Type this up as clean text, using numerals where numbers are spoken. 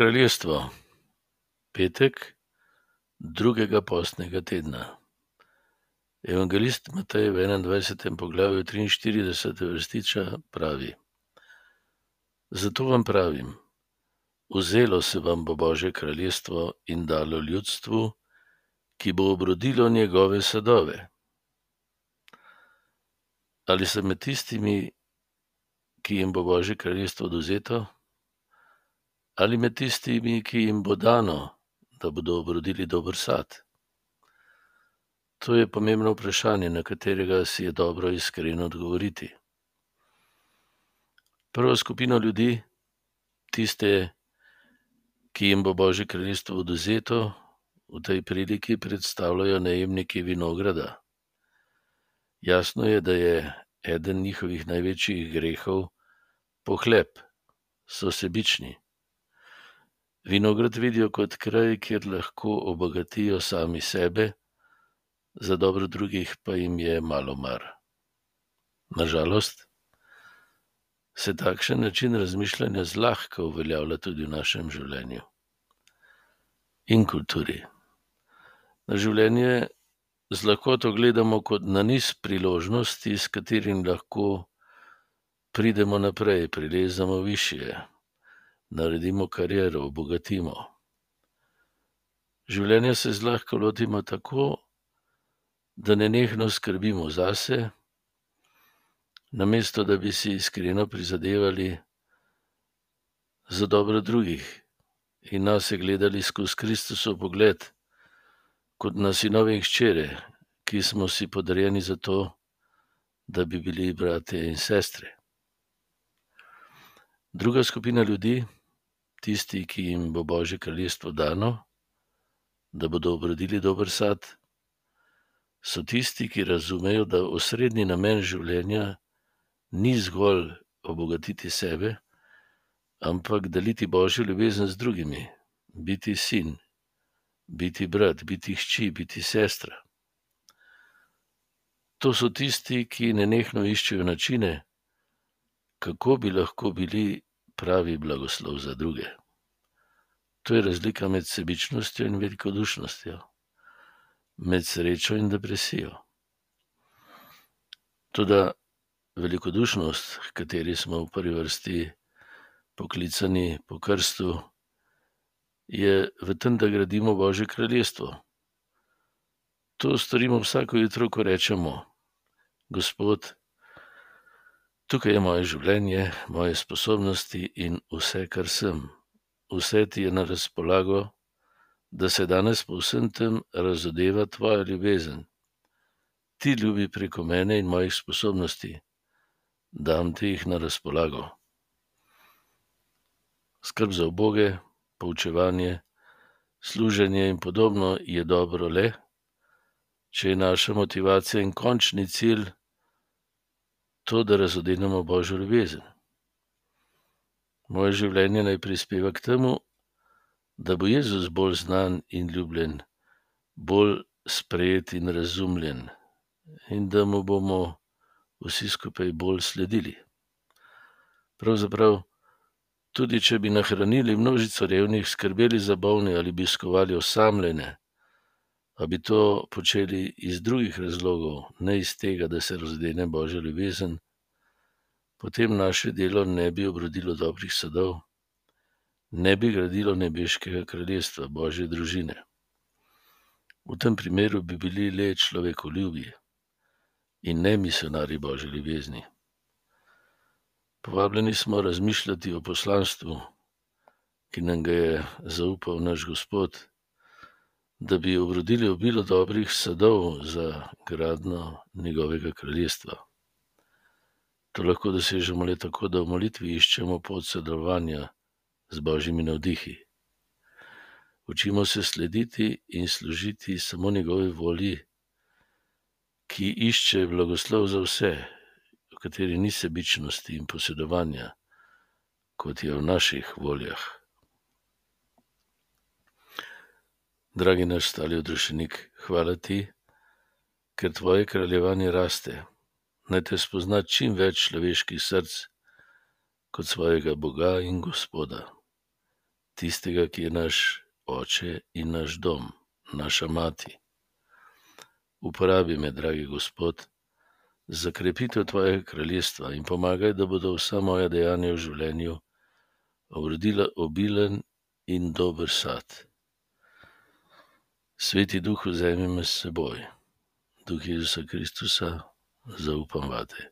Kraljestvo, petek drugega postnega tedna. Evangelist Matej v 21. poglavju 43. vrstiča pravi: Zato vam pravim, vzelo se vam bo Božje kraljestvo in dalo ljudstvu, ki bo obrodilo njegove sadove. Ali sem med tistimi, ki jim bo Božje kraljestvo odvzeto, ali med tistimi, ki jim bo dano, da bodo obrodili dober sad? To je pomembno vprašanje, na katerega si je dobro iskreno odgovoriti. Prva skupina ljudi, tiste, ki jim bo Božje kraljestvo odvzeto, v tej priliki predstavljajo najemniki vinograda. Jasno je, da je eden njihovih največjih grehov pohlep, so sebični. Vinograd vidijo kot kraj, kjer lahko obogatijo sami sebe, za dobro drugih pa jim je malo mar. Nažalost, se takšen način razmišljanja zlahka uveljavlja tudi v našem življenju in kulturi. Na življenje z lahkoto gledamo kot na niz priložnosti, s katerim lahko pridemo naprej, prilezamo višje, naredimo kariero, obogatimo. Življenja se zlahka lotimo tako, da nenehno skrbimo zase, namesto da bi si iskreno prizadevali za dobro drugih in nase gledali skozi Kristusov pogled, kot na sinove in hčere, ki smo si podarjeni za to, da bi bili bratje in sestre. Druga skupina ljudi, tisti, ki jim bo Božje kraljestvo dano, da bodo obrodili dober sad, so tisti, ki razumejo, da osrednji namen življenja ni zgolj obogatiti sebe, ampak deliti Božjo ljubezen z drugimi, biti sin, biti brat, biti hči, biti sestra. To so tisti, ki nenehno iščejo načine, kako bi lahko bili pravi blagoslov za druge. To je razlika med sebičnostjo in velikodušnostjo, med srečo in depresijo. Toda velikodušnost, h kateri smo v prvi vrsti poklicani po krstu, je v tem, da gradimo Božje kraljestvo. To storimo vsako jutro, ko rečemo: Gospod, tukaj je moje življenje, moje sposobnosti in vse, kar sem. Vse ti je na razpolago, da se danes po vsem tem razodeva tvoja ljubezen. Ti ljubi preko mene in mojih sposobnosti, dam ti jih na razpolago. Skrb za uboge, poučevanje, služenje in podobno je dobro le, če je naša motivacija in končni cilj to, da razodenemo Božjo ljubezen. Moje življenje naj prispeva k temu, da bo Jezus bolj znan in ljubljen, bolj sprejet in razumljen in da mu bomo vsi skupaj bolj sledili. Pravzaprav, tudi če bi nahranili množico revnih, skrbeli za bolne ali obiskovali osamljene, a bi to počeli iz drugih razlogov, ne iz tega, da se razdene Božja ljubezen, potem naše delo ne bi obrodilo dobrih sadov, ne bi gradilo nebeškega kraljestva, Božje družine. V tem primeru bi bili le človekoljubi in ne misionarji Božje ljubezni. Povabljeni smo razmišljati o poslanstvu, ki nam ga je zaupal naš Gospod, da bi obrodili obilo dobrih sadov za gradnjo njegovega kraljestva. To lahko dosežemo le tako, da v molitvi iščemo pot sodelovanja z Božjimi navdihi. Učimo se slediti in služiti samo njegovi volji, ki išče blagoslov za vse, v kateri ni sebičnosti in posedovanja, kot je v naših voljah. Dragi naš stali odrešenik, hvala ti, ker tvoje kraljevanje raste. Naj te spozna čim več človeških src kot svojega Boga in Gospoda. tistega, ki je naš Oče in naš dom, naša mati. Uporabi me, dragi Gospod, za krepitev tvojega kraljestva in pomagaj, da bodo vsa moja dejanja v življenju obrodila obilen in dober sad. Sveti Duh, vzemi me s seboj. Duh Jezusa Kristusa, zaupam vate.